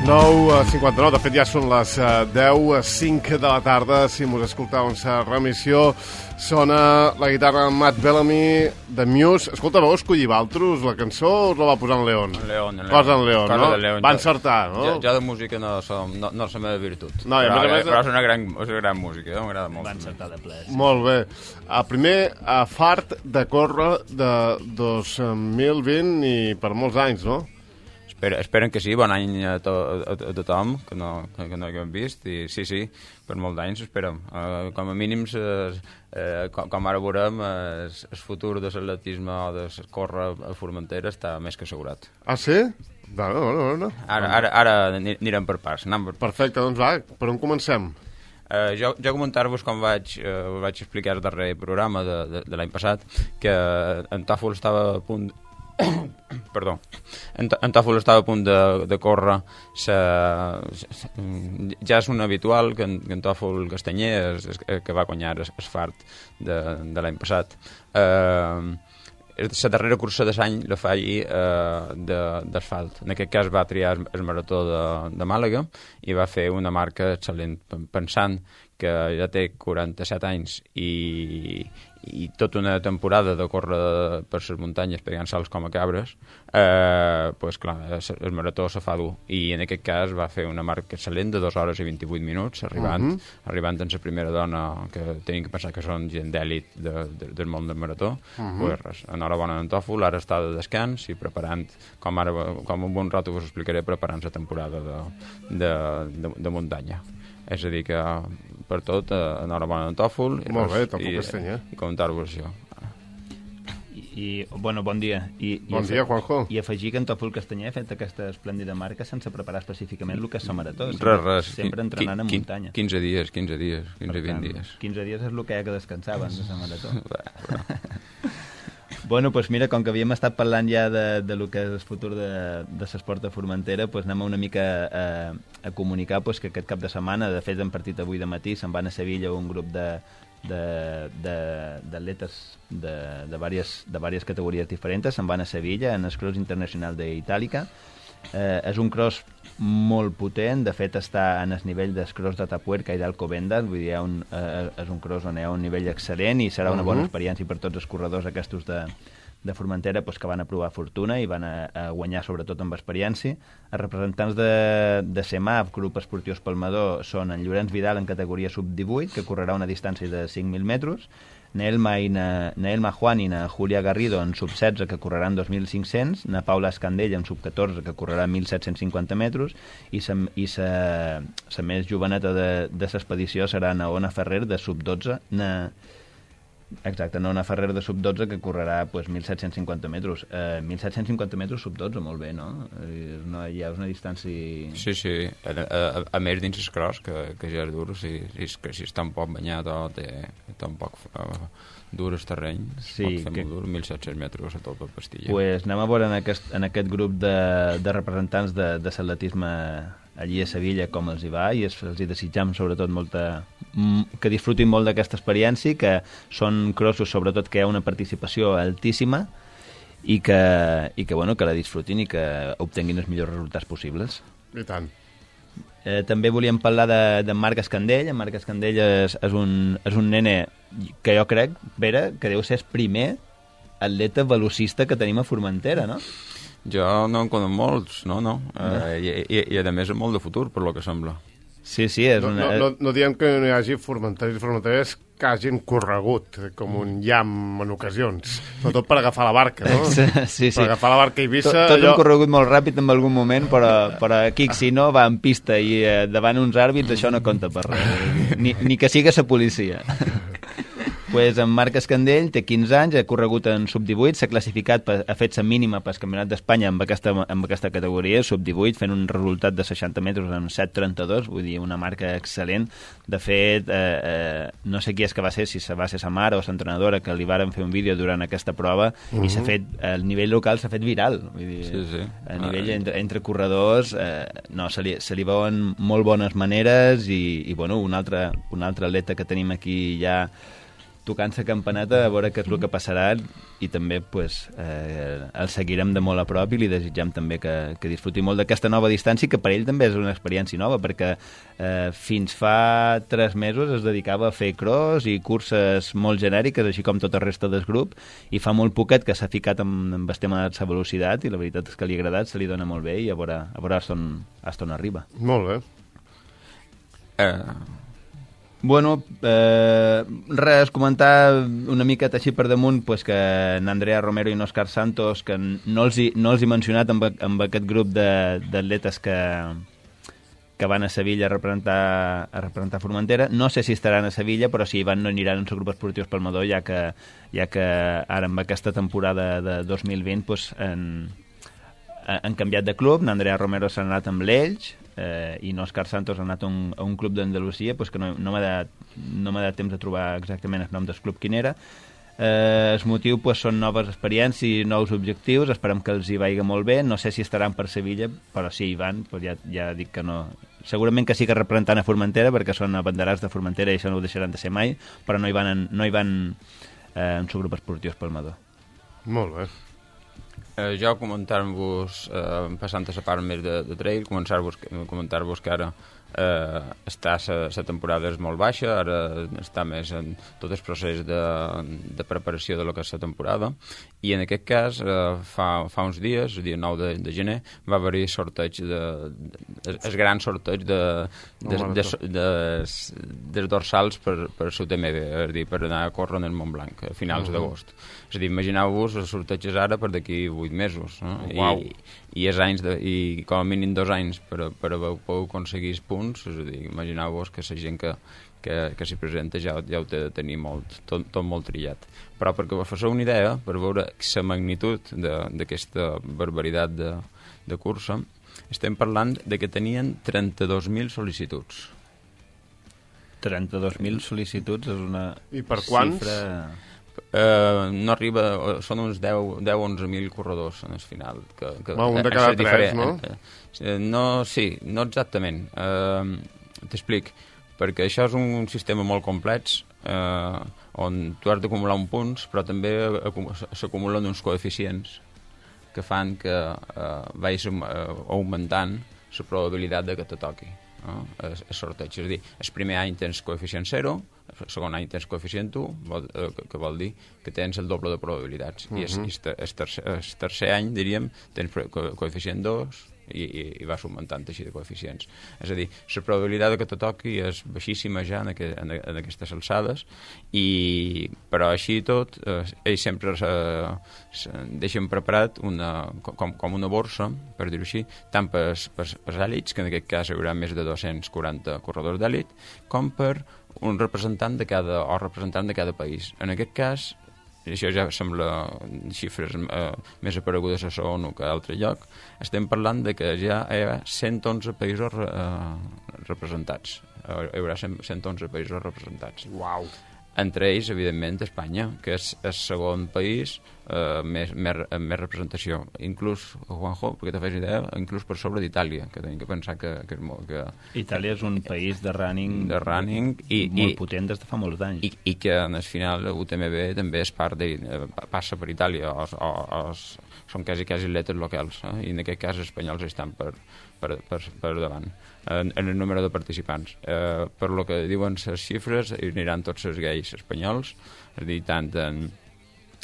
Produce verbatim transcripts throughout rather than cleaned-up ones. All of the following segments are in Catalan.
nou cinquanta-nou, de fet ja són les deu cinc de la tarda. Si mos escoltau en sa remissió, sona la guitarra de Matt Bellamy de Muse. Escolta, vau escollir valtros la cançó o us la va posar en León? En León, en León. Cosa en León, Cosa no? de León. Va encertar, no? Jo, jo de música no, som, no, no és la meva virtut. No, però, a més a més... però és una gran, és una gran música, eh? M'agrada molt. Va encertar de ple. Molt bé. A primer, a fart de córrer de dos mil vint i per molts anys, no? Espero, esperen que sí, bon any a, to, a, a tothom, que no, que, que no haguem vist, i sí, sí, per molts anys esperem. Uh, com a mínims, uh, uh, com, com ara veurem, el uh, futur de l'atletisme o de córrer a Formentera està més que assegurat. Ah, sí? Bueno, bueno, bueno. Ara, ara, ara anirem per pas. Per... Perfecte, doncs va, per on comencem? Uh, jo, jo comentar-vos com vaig, uh, vaig explicar el darrer programa de, de, de l'any passat, que en Tòfol estava a punt... Perdó. En, en Tòfol estava a punt de, de córrer. Se, se, ja és un habitual que en, que en Tòfol Castanyer és, és, que va guanyar es, es fart de, de l'any passat. Uh, la darrera cursa de l'any la fa allí uh, d'asfalt. En aquest cas va triar el marató de, de Màlaga i va fer una marca excel·lent, pensant que ja té quaranta-set anys i, i tota una temporada de córrer per les muntanyes pegant salts com a cabres, eh, pues clar, el marató se fa dur. I en aquest cas va fer una marca excel·lent de dues hores i vint-i-vuit minuts, arribant, uh -huh. arribant en la primera dona, que tenim que pensar que són gent d'èlit de, de, del món del marató. Uh -huh. Pues res, enhorabona en Tòfol, ara està de descans i preparant, com ara com un bon rato us explicaré, preparant la temporada de, de, de, de muntanya. És a dir que per tot, enhorabona en Tòfol. Molt bé, Tòfol Castanyer. I comentar-vos això. I, i, bueno, bon dia. I, bon i dia, Juanjo. I afegir que en Tòfol Castanyer ha fet aquesta esplèndida marca sense preparar específicament el que és la marató. Res, res. Sempre entrenant en muntanya. quinze dies, quinze dies, quinze, vint dies. quinze dies és el que hi ha que descansar abans de la marató. Bueno, doncs mira, com que havíem estat parlant ja de, de lo que és el futur de, de l'esport de Formentera, doncs anem una mica a, a comunicar doncs, que aquest cap de setmana, de fet, hem partit avui de matí, se'n van a Sevilla un grup de d'atletes de, de, de, de, diverses, de diverses categories diferents, se'n van a Sevilla en el Cross Internacional d'Itàlica. Eh, és un cross molt potent, de fet està en el nivell del cross d'Atapuerca i d'Alcobendas, vull dir, un, eh, és un cross on hi ha un nivell excel·lent i serà una bona experiència per tots els corredors aquests de, de Formentera pues, que van a provar fortuna i van a, a guanyar sobretot amb experiència. Els representants de, de CEMAF, Grup Esportiu Espalmador, són en Llorenç Vidal en categoria sub divuit, que correrà una distància de cinc mil metres, Naelma, i na, Naelma Juan i na Julia Garrido en sub setze, que correran dos mil cinc-cents, na Paula Escandella en sub catorze, que correrà mil set-cents cinquanta metres, i sa, i sa, sa més joveneta de, de l'expedició serà na Ona Ferrer, de sub dotze, na... Exacte, no, una Ferrer de sub dotze que correrà pues, mil set-cents cinquanta metres. Eh, mil set-cents cinquanta metres sub dotze, molt bé, no? És una, ja és una distància... Sí, sí, a, a, a més dins el cross, que, que ja és dur, si, si, que si està un poc banyat o té, té un poc uh, dur el terreny, sí, pot fer que... molt dur, mil set-cents metres a tot el pastilla. Pues anem a veure en aquest, en aquest grup de, de representants de, de l'atletisme allí a Sevilla com els hi va, i els, els hi desitjam sobretot molta, que disfrutin molt d'aquesta experiència, que són crossos sobretot que hi ha una participació altíssima i que, i que, bueno, que la disfrutin i que obtenguin els millors resultats possibles. I tant. Eh, també volíem parlar de, de Marc Escandell. En Marc Escandell és, és, un, és un nene que jo crec, Pere, que deu ser el primer atleta velocista que tenim a Formentera, no? Jo no en conec molts, no, no. Uh, i, i, I a més és molt de futur, per lo que sembla. Sí, sí, és no, una... No, no, no diem que no hi hagi formenteres i formenteres que hagin corregut, com un llamp en ocasions. Sobretot per agafar la barca, no? Sí, sí. Per agafar la barca a Eivissa... Tot, tot allò... hem corregut molt ràpid en algun moment, però, però aquí, si no, va en pista i eh, davant uns àrbits, això no compta per res. Ni, ni que siga la policia. Pues en Marc Escandell té quinze anys, ha corregut en sub divuit, s'ha classificat, ha fet la mínima pel Campionat d'Espanya amb aquesta, amb aquesta categoria, sub divuit, fent un resultat de seixanta metres en set trenta-dos, vull dir, una marca excel·lent. De fet, eh, eh, no sé qui és que va ser, si va ser sa mare o l'entrenadora, que li varen fer un vídeo durant aquesta prova, uh -huh. i s'ha fet, el nivell local s'ha fet viral. Vull dir, sí, sí. a nivell entre, entre corredors, eh, no, se li, se li veuen molt bones maneres i, i bueno, un altre, un altre atleta que tenim aquí ja tocant la campaneta a veure què és el que passarà i també pues, eh, el seguirem de molt a prop i li desitgem també que, que disfruti molt d'aquesta nova distància, que per ell també és una experiència nova, perquè eh, fins fa tres mesos es dedicava a fer cross i curses molt genèriques, així com tota la resta del grup, i fa molt poquet que s'ha ficat amb, amb el tema de la velocitat i la veritat és que li ha agradat, se li dona molt bé i a veure, a veure on, on arriba. Molt bé. Eh... Bueno, eh, res, comentar una miqueta així per damunt pues, que n'Andrea Romero i n'Òscar Santos, que no els he, no els he mencionat amb, amb aquest grup d'atletes que, que van a Sevilla a representar, a representar Formentera. No sé si estaran a Sevilla, però si hi van no aniran en el grup esportiu Palmador, ja que, ja que ara amb aquesta temporada de dos mil vint pues, han, han canviat de club. N'Andrea Romero s'ha anat amb l'Elx, eh, i n'Òscar Santos ha anat a un, a un club d'Andalusia, pues que no, no m'ha dat, no m'ha dat temps de trobar exactament el nom del club quin era. Eh, el motiu pues, són noves experiències i nous objectius, esperem que els hi vagi molt bé. No sé si estaran per Sevilla, però si hi van, pues ja, ja dic que no. Segurament que sí que representant a Formentera, perquè són abanderats de Formentera i això no ho deixaran de ser mai, però no hi van en, no hi van, eh, en subgrup esportiu Palmador. Molt bé. Eh, jo comentar-vos, eh, passant a la part més de, de trail, començar-vos comentar-vos que ara eh, està la temporada és molt baixa, ara està més en tot el procés de, de preparació de lo que és la temporada, i en aquest cas eh, fa, fa uns dies, el dia nou de, de gener, va haver-hi sorteig de, de, el gran sorteig de, de, de, de, de, dels dorsals per, per la U T M B, és a dir, per anar a córrer en el Montblanc a finals uh-huh. d'agost. És a dir, imagineu-vos els sorteig ara per d'aquí vuit mesos, no? Uau. I, i, és anys de, i com a mínim dos anys per, per haver aconseguir punts, és a dir, imagineu-vos que la gent que, que, que s'hi presenta ja, ja ho té de tenir molt, tot, tot molt trillat. Però perquè vos feu una idea, per veure la magnitud d'aquesta barbaritat de, de cursa, estem parlant de que tenien trenta-dos mil sol·licituds. trenta-dos mil sol·licituds és una I per quants? Xifra... Uh, no arriba, són uns deu a onze mil corredors en el final. Que, que, Va, un de cada tres, diferent. no? Uh, no, sí, no exactament. Uh, T'explic, perquè això és un sistema molt complex uh, on tu has d'acumular un punts, però també s'acumulen uns coeficients que fan que uh, vagis uh, augmentant la probabilitat de que te toqui. No? El, el sorteig, és a dir, el primer any tens coeficient zero, el segon any tens coeficient u, vol, eh, que vol dir que tens el doble de probabilitats. Uh-huh. I el, el, tercer, el tercer any, diríem, tens co coeficient dos i, i, i vas augmentant així de coeficients. És a dir, la probabilitat que te toqui és baixíssima ja en, aqu en, en aquestes alçades, i, però així i tot, eh, ells sempre se, se deixen preparat una, com, com una borsa, per dir-ho així, tant per, per, per èlits, que en aquest cas hi haurà més de dos-cents quaranta corredors d'èlit, com per un representant de cada, o representant de cada país. En aquest cas, això ja sembla xifres eh, més aparegudes a la ONU que a altre lloc, estem parlant de que ja hi ha cent onze països eh, representats. Hi haurà cent onze països representats. Uau! Entre ells, evidentment, Espanya, que és el segon país eh, més, més, amb més representació. Inclús, Juanjo, perquè te fes idea, inclús per sobre d'Itàlia, que tenim que pensar que, que és molt... Que, Itàlia és un país de running, de running i, molt i, potent des de fa molts anys. I, i que, en el final, U T M B també és part de... passa per Itàlia, o, o, o, són quasi, quasi atletes locals, eh? I en aquest cas els espanyols estan per, per, per, per davant en, en el número de participants. Eh, per lo que diuen les xifres, hi aniran tots els gais espanyols, és a dir, tant en,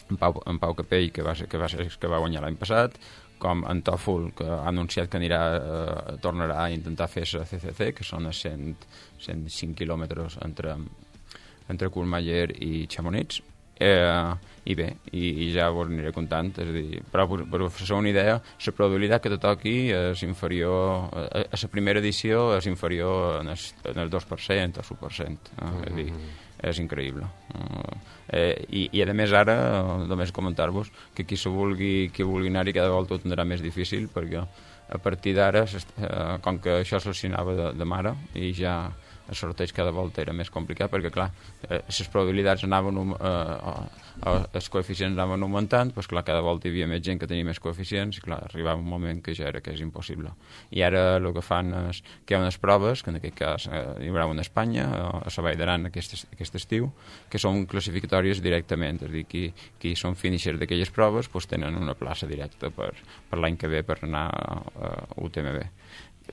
en, Pau, en Pau Capell, que va, ser, que va, ser, que va guanyar l'any passat, com en Tòfol, que ha anunciat que anirà, eh, tornarà a intentar fer la C C C, que són a cent, cent cinc quilòmetres entre, entre Courmayeur i Chamonix. Eh, i bé, i, i ja us aniré comptant, és a dir, però per, per fer una idea, la probabilitat que te toqui és inferior, a, a la primera edició és inferior en el, en el dos per cent o l'u per cent, eh? Mm-hmm. És a dir, és increïble. Eh, i, I a més ara, només comentar-vos que qui se vulgui, qui vulgui anar-hi cada volta ho tindrà més difícil, perquè a partir d'ara, eh, com que això seleccionava de, de mare, i ja el sorteig cada volta era més complicat, perquè, clar, eh, les probabilitats anaven, eh, eh, els coeficients anaven augmentant, doncs, clar, cada volta hi havia més gent que tenia més coeficients, i, clar, arribava un moment que ja era que és impossible. I ara el que fan és que hi ha unes proves, que en aquest cas eh, hi haurà una a Espanya, a la Vall d'Aran aquest, aquest estiu, que són classificatòries directament, és a dir, qui, qui són finishers d'aquelles proves doncs tenen una plaça directa per, per l'any que ve per anar a U T M B.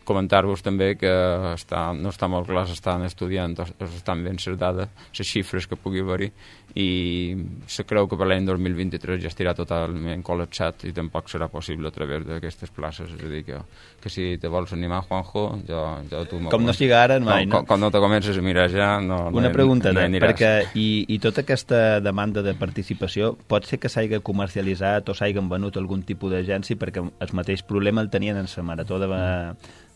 Comentar-vos també que està, no està molt clar, s'estan estudiant, estan ben les dades, les xifres que pugui haver-hi, i se creu que per l'any dos mil vint-i-tres ja estirà totalment col·lapsat i tampoc serà possible a través d'aquestes places. És a dir, que, que si te vols animar, Juanjo, jo, jo tu... Com no siga ara, mai, no? Com, com no te comences a mirar ja, no... Una no, pregunta, no no, perquè i, i tota aquesta demanda de participació pot ser que s'hagi comercialitzat o s'hagin venut algun tipus d'agència, perquè el mateix problema el tenien en la marató de...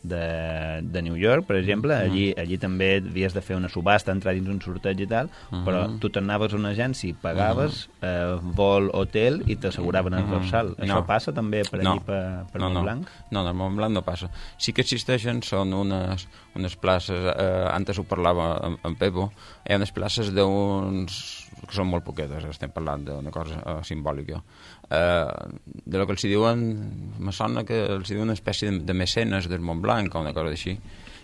De, de New York, per exemple, allí, allí també havies de fer una subhasta, entrar dins un sorteig i tal, uh -huh. però tu t'anaves a una agència, pagaves uh -huh. eh, vol, hotel i t'asseguraven el dorsal. Uh -huh. Això no. passa també per allí, no. per, per no, Montblanc? No, no, no, Montblanc no passa. Sí que existeixen, són unes, unes places, eh, antes ho parlava amb, amb Pepo, hi ha unes places d'uns... que són molt poquetes, estem parlant d'una cosa uh, simbòlica. Uh, de lo que els diuen, me sona que els diuen una espècie de, de mecenes del Montblanc o una cosa així,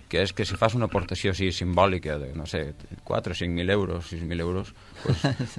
que és que si fas una aportació així simbòlica de, no sé, quatre o cinc mil euros, sis mil euros,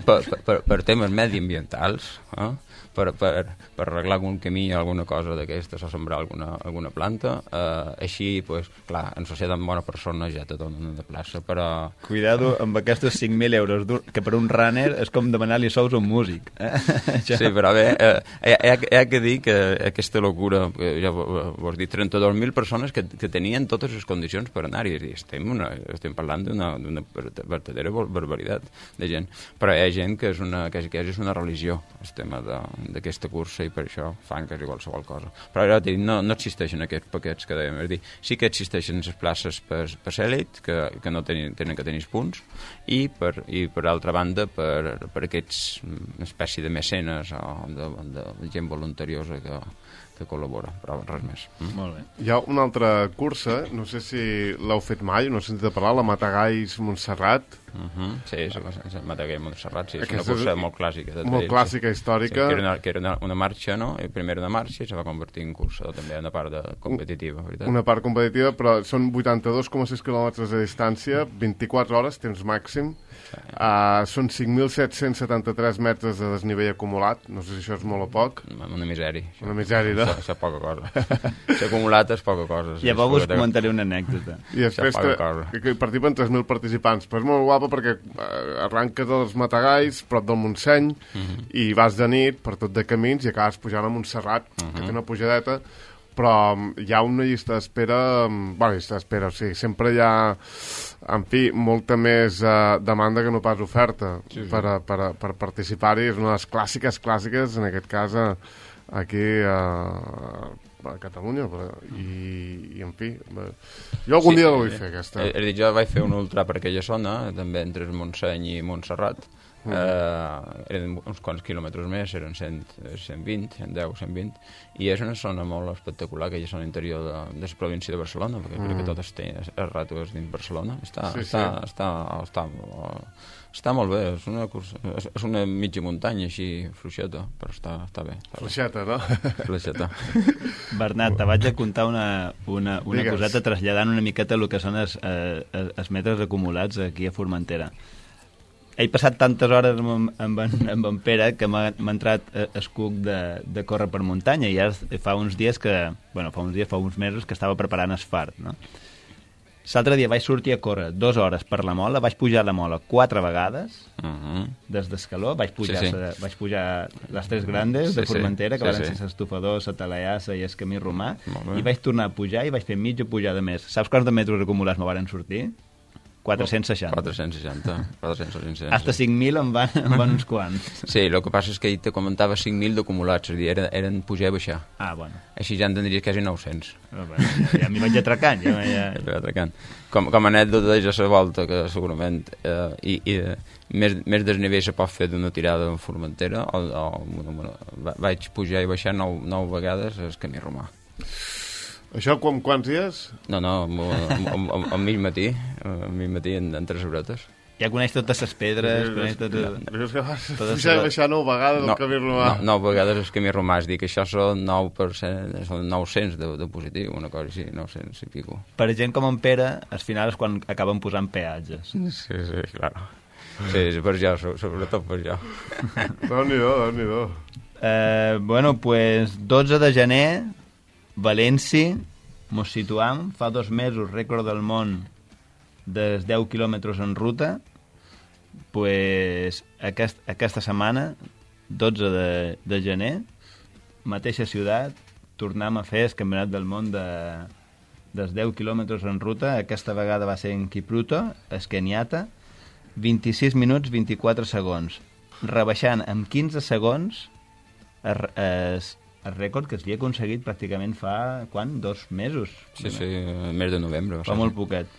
pues, per, per, per temes mediambientals, eh? per, per, per arreglar algun camí o alguna cosa d'aquestes o sembrar alguna, alguna planta, eh, així, pues, clar, en societat amb bona persona ja te donen de plaça, però... Cuidado amb aquests cinc mil euros, que per un runner és com demanar-li sous a un músic. Eh? Sí, però bé, eh, hi, ha, hi ha que dir que aquesta locura, ja vos dic, trenta-dos mil persones que, que tenien totes les condicions per anar-hi, estem, una, estem parlant d'una verdadera barbaritat de gent, però hi ha gent que és una, que és una religió el tema d'aquesta cursa, i per això fan quasi qualsevol cosa. Però ja dic, no, no existeixen aquests paquets que dèiem, és dir, sí que existeixen les places per, per l'elit, que, que no tenen, tenen que tenir punts, i per, i per altra banda per, per aquests espècie de mecenes o de, de, de gent voluntariosa que que col·labora, però res més. Mm? Molt bé. Hi ha una altra cursa, no sé si l'heu fet mai, no he sentit a parlar, la Matagalls Montserrat. Uh -huh. Sí, és la Matagalls Montserrat, sí, és Aquesta una cursa és molt clàssica. Molt clàssica, històrica. Sí, que era, una, que era una, una marxa, no? Primer una marxa i se va convertir en cursa, també una part de competitiva, veritat? Una part competitiva, però són vuitanta-dos coma sis quilòmetres de distància, vint-i-quatre hores, temps màxim. Uh, són cinc mil set-cents setanta-tres metres de desnivell acumulat, no sé si això és molt o poc. Una misèria. Això. Una misèria, no? Això, això és poca cosa. Això acumulat és poca cosa. Llavors us comentaré una anècdota. I després que, que participen tres mil participants, però és molt guapa perquè uh, arranques dels Matagalls, prop del Montseny, uh -huh. i vas de nit per tot de camins i acabes pujant a Montserrat, uh -huh. que té una pujadeta, però hi ha una llista d'espera, bueno, llista d'espera, o sigui, sempre hi ha, en fi, molta més uh, demanda que no pas oferta sí, sí. per, per, per participar-hi. És una de les clàssiques, clàssiques, en aquest cas, uh, aquí uh, a Catalunya, i, i en fi, jo algun sí, dia la vull fer, aquesta. És dir, jo vaig fer un ultra per aquella zona, també entre Montseny i Montserrat. Uh, eren uns quants quilòmetres més, eren cent, cent vint, cent deu, cent vint, i és una zona molt espectacular, aquella zona interior de, de la província de Barcelona, perquè mm. crec que tot està, el rato és dins Barcelona. Està, sí, està, sí. està, està, està, està molt bé, és una, cursa, és, és una mitja muntanya així fluixeta, però està, està bé. Està fluixeta, no? Fluixeta. Bernat, te vaig a contar una, una, una coseta traslladant una miqueta el que són els, eh, els metres acumulats aquí a Formentera. He passat tantes hores amb, amb, en, amb en Pere que m'ha entrat el cuc de, de córrer per muntanya, i ara fa uns dies que, bueno, fa uns dies, fa uns mesos que estava preparant el fart, no? L'altre dia vaig sortir a córrer dues hores per la Mola, vaig pujar la Mola quatre vegades, uh -huh. des d'Escaló, vaig pujar, sí, sí. Sa, vaig pujar les tres grandes sí, de Formentera, sí, que sí, van ser l'Estufador, la Talaiassa i el Camí Romà, i vaig tornar a pujar i vaig fer mitja pujada més. Saps quants de metres acumulats me varen sortir? quatre-cents seixanta. quatre-cents seixanta. quatre-cents seixanta. Hasta cinc mil en van, en van uns quants. Sí, el que passa és que ell te comentava cinc mil d'acumulats, és a dir, eren, eren pujar i baixar. Ah, bueno. Així ja en tindries quasi nou-cents. Oh, bueno, ja ja m'hi vaig atracant. Ja, ja... ja atracant. Com, com a anècdota de la volta, que segurament eh, i, i, eh, més, més desnivell se pot fer d'una tirada en Formentera, o, o bueno, bueno, vaig pujar i baixar nou, nou vegades el Camí Romà. Això com, quants dies? No, no, al mig matí, al mig matí en, en tres horetes. Ja coneix totes les pedres, coneix totes... Però és que vas pujar i baixar nou vegades el camí romà. No, nou vegades el camí romà, és dir, que això són nou per cent, són nou-cents de, de positiu, una cosa així, nou-cents i pico. Per gent com en Pere, al final és quan acaben posant peatges. Sí, sí, clar. Sí, sí, per jo, sobretot per jo. Déu-n'hi-do, Déu-n'hi-do. Eh, bueno, pues dotze de gener, València, mos situam, fa dos mesos, rècord del món dels deu quilòmetres en ruta, pues aquest, aquesta setmana, dotze de, de gener, mateixa ciutat, tornem a fer el campionat del món de, dels deu quilòmetres en ruta. Aquesta vegada va ser en Kipruto, el Kenyatta, vint-i-sis minuts, vint-i-quatre segons, rebaixant amb quinze segons el, el, el rècord que es havia aconseguit pràcticament fa, quan? Dos mesos? Sí, sí, el mes de novembre. Fa molt poquet.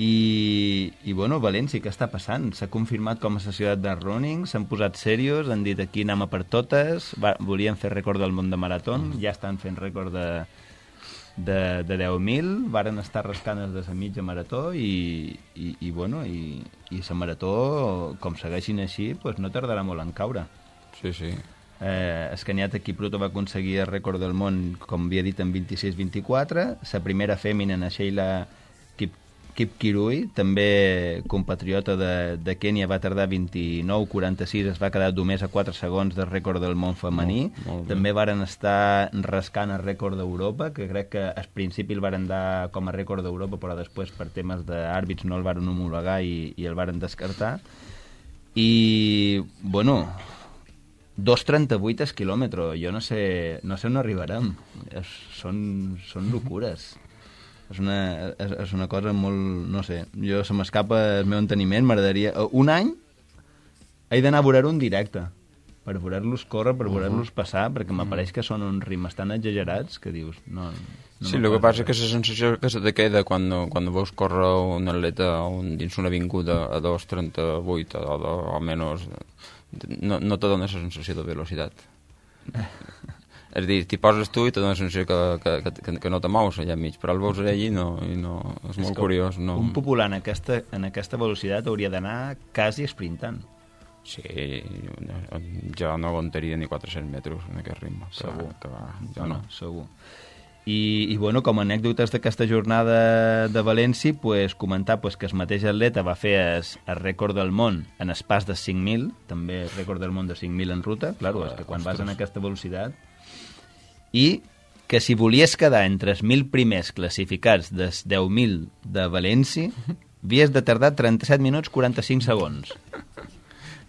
I, i bueno, València, què està passant? S'ha confirmat com a la ciutat de running, s'han posat serios, han dit aquí anem a per totes, va, volien fer rècord del món de marató, mm. ja estan fent rècord de, de, de deu mil, varen estar rascant els de la mitja marató i, i, i bueno, i, i la marató, com segueixin així, pues no tardarà molt en caure. Sí, sí. Eh, el Kenyatta Kipruto va aconseguir el rècord del món, com havia dit, en vint-i-sis vint-i-quatre, la primera fèmina, na Sheila Kip Kip Kirui, també compatriota de, de Kènia, va tardar vint-i-nou quaranta-sis, es va quedar només a quatre segons del rècord del món femení. Molt, molt també varen estar rascant el rècord d'Europa, que crec que al principi el varen dar com a rècord d'Europa, però després per temes d'àrbits no el varen homologar i, i el varen descartar. I, bueno, dos trenta-vuit el quilòmetre, jo no sé, no sé on arribarem. Es, són, són locures. És una, és, és una cosa molt... No sé, jo se m'escapa el meu enteniment, m'agradaria... Un any he d'anar a veure-ho en directe, per veure-los córrer, per veure-los passar, perquè m'apareix que són uns ritmes tan exagerats que dius... No, no sí, el que passa és que la sensació que se te queda quan, quan veus córrer un atleta un, dins una avinguda a dos trenta-vuit o, o almenys no, no te dona la sensació de velocitat. És a dir, t'hi poses tu i te dona la sensació que, que, que, que no te mous allà enmig, però el veus allà i no, i no, és molt és curiós. No... Un popular en aquesta, en aquesta velocitat hauria d'anar quasi sprintant. Sí, jo no aguantaria ni quatre-cents metres en aquest ritme. Segur. Que va, jo no, no. Segur. I, i bueno, com a anècdotes d'aquesta jornada de València, pues, comentar pues, que el mateix atleta va fer el, el rècord del món en el pas de cinc mil, també el rècord del món de cinc mil en ruta. Claro, és que quan vas en aquesta velocitat... I que si volies quedar entre els mil primers classificats dels deu mil de València, havies de tardar trenta-set minuts quaranta-cinc segons.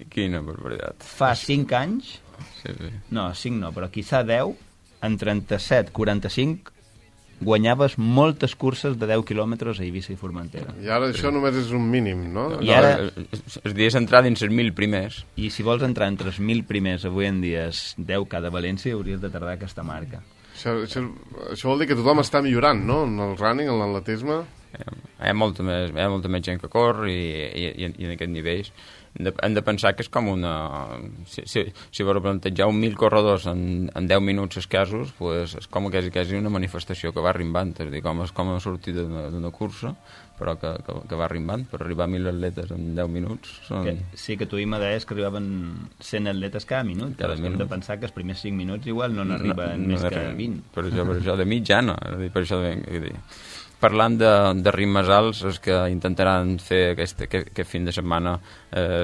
Quina barbaritat. Fa cinc anys, sí, sí. No, cinc no, però quizà deu, en trenta-set quaranta-cinc guanyaves moltes curses de deu quilòmetres a Eivissa i Formentera. I ara això sí. Només és un mínim, no? I ara... Es dies entrar dins els mil primers. I si vols entrar entre els mil primers avui en dia, deu cada València, hauries de tardar aquesta marca. Això, això, això vol dir que tothom està millorant, no? En el running, en l'atletisme. Hi ha molta més, hi ha molta més gent que corre i, i, i, i en aquest nivell hem de, hem de pensar que és com una... Si, si, si vols plantejar un mil corredors en, en deu minuts escassos, pues és com quasi, quasi una manifestació que va arribant, és a dir, com, és com a sortir d'una cursa, però que, que, que va arribant, per arribar a mil atletes en deu minuts. Són... Que, sí, que tu i deies que arribaven cent atletes cada minut, cada minut. Hem de pensar que els primers cinc minuts igual no n'arriben no, no més que vint. Per això, per això de mitjana, per això de... de parlant de, de ritmes alts, és que intentaran fer aquest, aquest, aquest fin de setmana eh,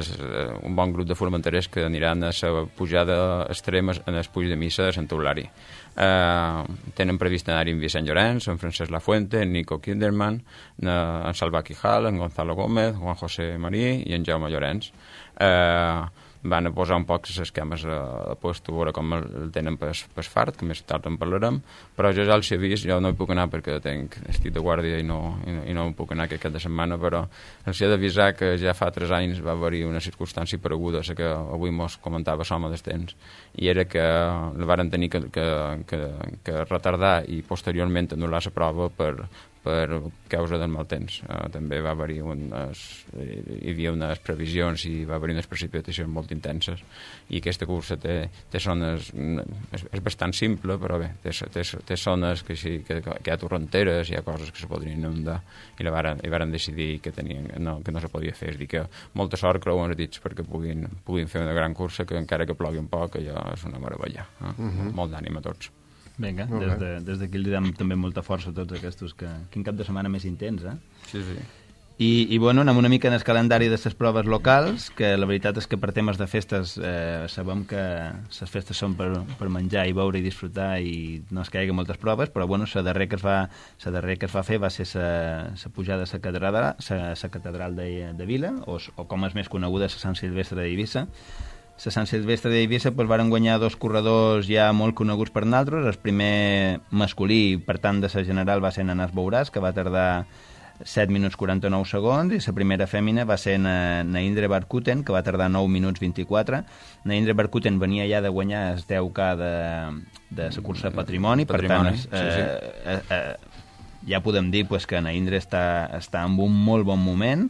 un bon grup de formenterers que aniran a la pujada extrema en el Puig de Missa de Sant Eulari. Eh, tenen previst anar-hi en Vicent Llorenç, en Francesc Lafuente, en Nico Kinderman, en Salva Quijal, en Gonzalo Gómez, Juan José Marí i en Jaume Llorenç. Eh, van a posar un poc les esquemes a, a post, a veure com el tenen per fart, que més tard en parlarem, però jo ja els he vist, jo no hi puc anar perquè tenc, estic de guàrdia i no, i no, i no puc anar aquest cap de setmana, però els he d'avisar que ja fa tres anys va haver-hi una circumstància pareguda, la que avui mos comentava Soma des temps, i era que la varen tenir que, que, que, que retardar i posteriorment anul·lar la prova per, per causa del mal temps. Uh, també va haver-hi unes, hi havia unes previsions i va haver-hi unes precipitacions molt intenses, i aquesta cursa té, té zones, és, és bastant simple, però bé, té, té, té zones que, sí, que, que hi ha torrenteres, hi ha coses que se podrien inundar, i la varen, i varen decidir que, tenien, no, que no se podia fer. És dir, que molta sort, creuen els dits, perquè puguin, puguin fer una gran cursa, que encara que plogui un poc, allò és una meravella. Eh? Uh-huh. Molt d'ànim a tots. Vinga, des d'aquí de, des li diem també molta força a tots aquests, que quin cap de setmana més intens, eh? Sí, sí. I, i bueno, anem una mica en el calendari de les proves locals, que la veritat és que per temes de festes eh, sabem que les festes són per, per menjar i beure i disfrutar i no es caigui moltes proves, però bueno, la darrer que es va, la darrer que es va fer va ser la pujada a la catedral, la catedral de, de Vila, o, o com és més coneguda, la Sant Silvestre d'Eivissa. La Sant Silvestre d'Eivissa pues, varen guanyar dos corredors ja molt coneguts per nosaltres. El primer masculí, per tant, de la general va ser Nanàs Bouràs, que va tardar set minuts quaranta-nou segons, i la primera fèmina va ser Naindre Barkuten, que va tardar nou minuts vint-i-quatre. Naindre Barkuten venia ja de guanyar el deu K de, de la cursa Patrimoni, Patrimoni, per tant, sí, sí. Eh, eh, eh, ja podem dir pues, que Naindre està, està en un molt bon moment,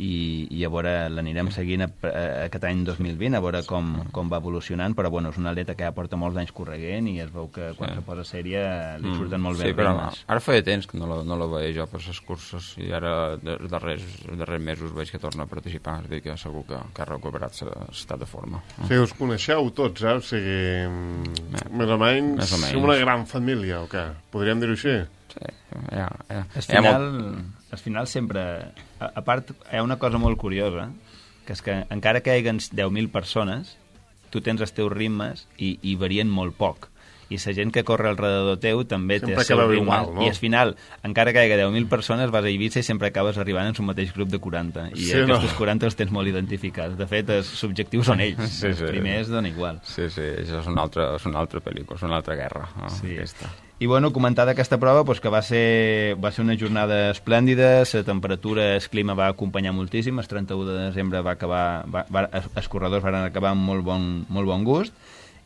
i, i a veure, l'anirem seguint a, a, aquest any dos mil vint, a veure com, com va evolucionant, però bueno, és una atleta que ja porta molts anys correguent i es veu que quan sí. se posa sèria li surten mm, molt bé sí, els però ritmes. Ara feia temps que no la, no la veia jo per les curses, i ara els darrers, els darrers mesos veig que torna a participar, és a dir, que segur que, que ha recuperat l'estat de forma. Sí, us coneixeu tots, eh? O sigui, eh, més o menys, més o menys. Som una gran família, o què? Podríem dir-ho així? Sí, ja, ja. Al final, al final sempre... A, a part, hi ha una cosa molt curiosa, que és que encara que hi hagi deu mil persones, tu tens els teus ritmes i, i varien molt poc. I la gent que corre alrededor teu també sempre té el seu ritme. Igual, no? I al final, encara que hi hagi deu mil persones, vas a Eivissa i sempre acabes arribant en un mateix grup de quaranta. I sí, aquests no? quaranta els tens molt identificats. De fet, els objectius són ells. Sí, els sí. primers donen igual. Sí, sí, això és una altra, és una altra pel·lícula, és una altra guerra. Oh, sí. Aquesta. I bueno, comentar d'aquesta prova pues, que va ser, va ser una jornada esplèndida, la temperatura, el clima va acompanyar moltíssim, el trenta-u de desembre va acabar, va, va, els corredors van acabar amb molt bon, molt bon gust,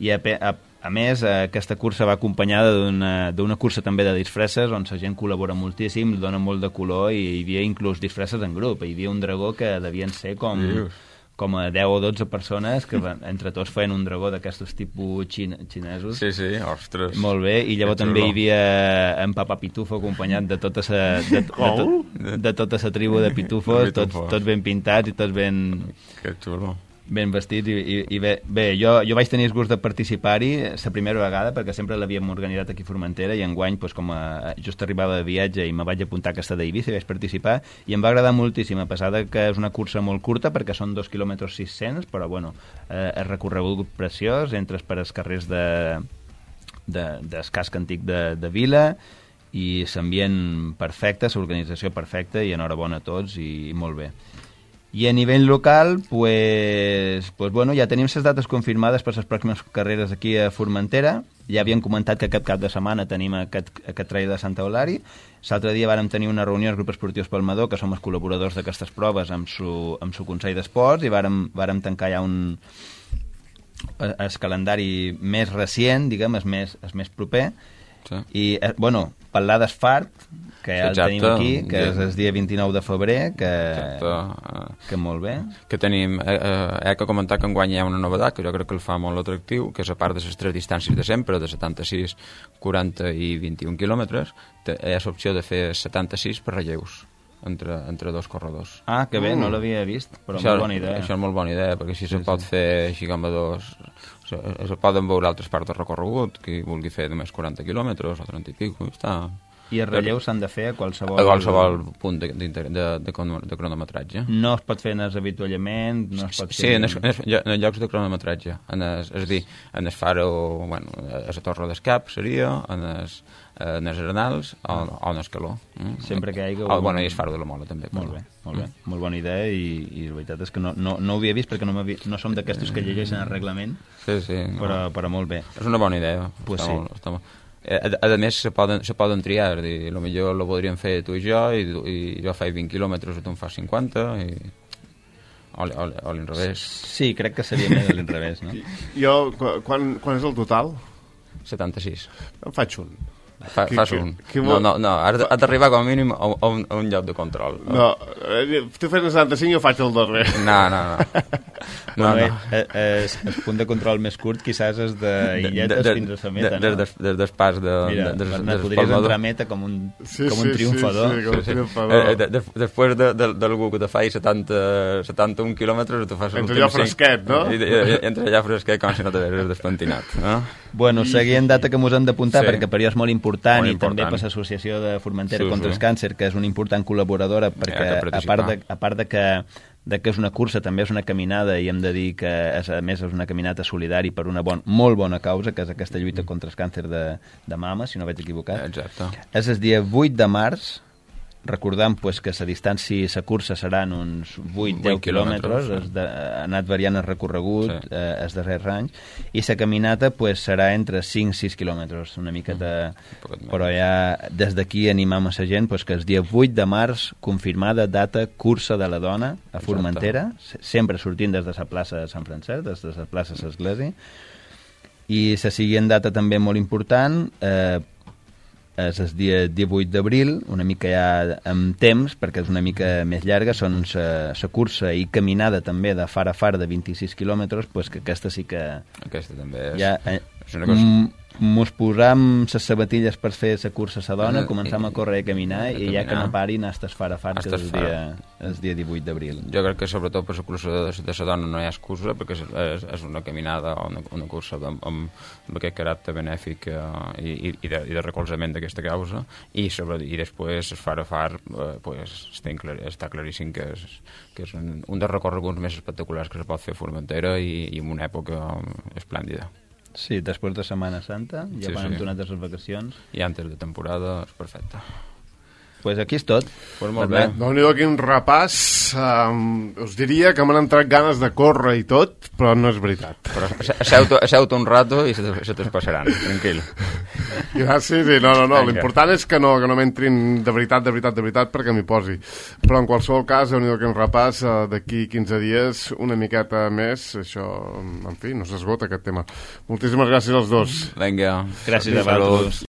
i a, a, a més aquesta cursa va acompanyada d'una cursa també de disfresses on la gent col·labora moltíssim, dona molt de color, i hi havia inclús disfresses en grup, hi havia un dragó que devien ser com... Dius. com a deu o dotze persones que van, entre tots feien un dragó d'aquestos tipus xine, xinesos. Sí, sí, ostres. Molt bé, i llavors també hi havia en Papa Pitufo acompanyat de tota sa, de, de, de, de tota la tribu de pitufos, tots, tots ben pintats i tots ben... Que xulo. Ben vestits, i, i, i bé, bé jo, jo vaig tenir el gust de participar-hi la primera vegada, perquè sempre l'havíem organitzat aquí a Formentera, i enguany, doncs, com a, just arribava de viatge i me vaig apuntar a aquesta d'Eivissa i vaig participar, i em va agradar moltíssim, a pesar de que és una cursa molt curta, perquè són dos quilòmetres sis-cents, però bueno, eh, és recorregut preciós, entres per els carrers de, de, del casc antic de, de Vila, i l'ambient perfecte, l'organització perfecta, i enhorabona a tots, i, i molt bé. I a nivell local, pues, pues bueno, ja tenim les dates confirmades per les pròximes carreres aquí a Formentera. Ja havíem comentat que aquest cap de setmana tenim aquest, aquest trail de Santa Eulàri. L'altre dia vàrem tenir una reunió al grup esportiu Palmador, que som els col·laboradors d'aquestes proves, amb su, amb su Consell d'Esports, i vàrem, vàrem tancar ja un el calendari més recient, diguem, el més, el més proper. Sí. I, eh, bueno, parlar d'Esfart, que ja el tenim aquí, que és el dia vint-i-nou de febrer, que, que molt bé. Que tenim, eh, eh, he de comentar que enguany hi ha una novetat, que jo crec que el fa molt atractiu, que és a part de les tres distàncies de sempre, de setanta-sis, quaranta i vint-i-un quilòmetres, hi ha l'opció de fer setanta-sis per relleus entre, entre dos corredors. Ah, que bé, mm. no l'havia vist, però això, molt bona idea. Això és molt bona idea, perquè així sí, se pot sí. fer així com a dos... Se poden veure altres parts del recorregut, qui vulgui fer només quaranta quilòmetres o trenta i pico, està... I els relleus s'han de fer a qualsevol... A qualsevol punt de, de, de, de, de cronometratge. No es pot fer en els avituallament, no es pot sí, fer... en, es, en, es, en llocs de cronometratge. En es, és a dir, en el faro, bueno, a la Torre d'Escap seria, en els en els Arenals o, o en Escaló. Mm? Sempre que hi hagi... Oh, bueno, i el faro de la Mola, també. Molt bé, molt bé. Mm. Molt bona idea, i, i la veritat és que no, no, no ho havia vist, perquè no, no som d'aquestos que llegeixen el reglament, sí, sí, no. però, però molt bé. És una bona idea. Pues està sí. molt, està molt... A, a més, se poden, se poden triar, dir, lo millor lo podríem fer tu i jo, i, i jo faig vint quilòmetres i tu en fas cinquanta, i... o, o, o l'inrevés. Sí, crec que seria més a l'inrevés, no? Jo, quan, quan és el total? setanta-sis. En faig un. Fa, fas un. Que, que no, no, no, has d'arribar com a mínim a, a, un, a un lloc de control. No, no tu fes el setanta-cinc i jo faig el darrer. No, no, no. no, no. Eh, eh, el punt de control més curt quizás és d'Illetes de, de, fins a la meta, de, no? Des, des del pas de... Mira, de, de, de, podries entrar a meta com un, sí, com un sí, triomfador. Sí, sí, com un sí, triomfador. Sí. Eh, de, de, després de, de, d'algú que te faci setanta, setanta-un quilòmetres, tu fas... Entre allò fresquet, no? I, i, i, entre allò fresquet, com si no t'hagués despentinat, no? Bueno, seguint data que mos hem d'apuntar, sí. perquè per jo és molt important, molt i important. també per l'Associació de Formentera sí, contra sí. el Càncer, que és una important col·laboradora, perquè a part, de, a part de que de que és una cursa, també és una caminada, i hem de dir que és, a més és una caminata solidària per una bon, molt bona causa, que és aquesta lluita contra el càncer de, de mama, si no vaig equivocat. Exacte. És el dia vuit de març, recordant pues, que la distància, la cursa seran uns vuit a deu quilòmetres, sí. de, ha anat variant el recorregut sí. eh, els darrers anys, i la caminata pues, serà entre cinc a sis quilòmetres, una miqueta, mm, però ja des d'aquí animam a la gent pues, que el dia vuit de març, confirmada data cursa de la dona a Formentera, exacte. Sempre sortint des de la plaça de Sant Francesc, des de la plaça de l'Església, i la següent data també molt important, eh, és el dia divuit d'abril, una mica ja amb temps, perquè és una mica més llarga, són la cursa i caminada també de far a far de vint-i-sis quilòmetres, pues que aquesta sí que... Aquesta també és... Ja, eh, és una cosa... Mos posam les sabatilles per fer la cursa a la dona, començam a córrer i a caminar, i ja que no parin, hasta far a far, que és el dia, el dia divuit d'abril. Jo crec que sobretot per la cursa de, de la dona no hi ha excusa, perquè és, és, és una caminada o una, una cursa amb, amb, amb aquest caràcter benèfic eh, i, i, de, i de recolzament d'aquesta causa, i, sobre, i després es far a far eh, pues, està, clar, està claríssim que és, que és un, un dels recorreguts més espectaculars que es pot fer a Formentera i, i en una època esplèndida. Sí, després de Setmana Santa, ja sí, quan sí. hem tornat a les vacacions. I antes de temporada és perfecte. Pues aquí és tot. Pues molt bé. Déu-n'hi-do, quin repàs. Um, us diria que m'han entrat ganes de córrer i tot, però no és veritat. Però asseu-te asseu un rato i se te'ls passaran, tranquil. Gràcies, i no, no, no. L'important és que no, que no m'entrin de veritat, de veritat, de veritat, perquè m'hi posi. Però en qualsevol cas, déu-n'hi-do, quin repàs. Uh, d'aquí quinze dies, una miqueta més. Això, en fi, no s'esgota aquest tema. Moltíssimes gràcies als dos. Vinga. Gràcies a vosaltres.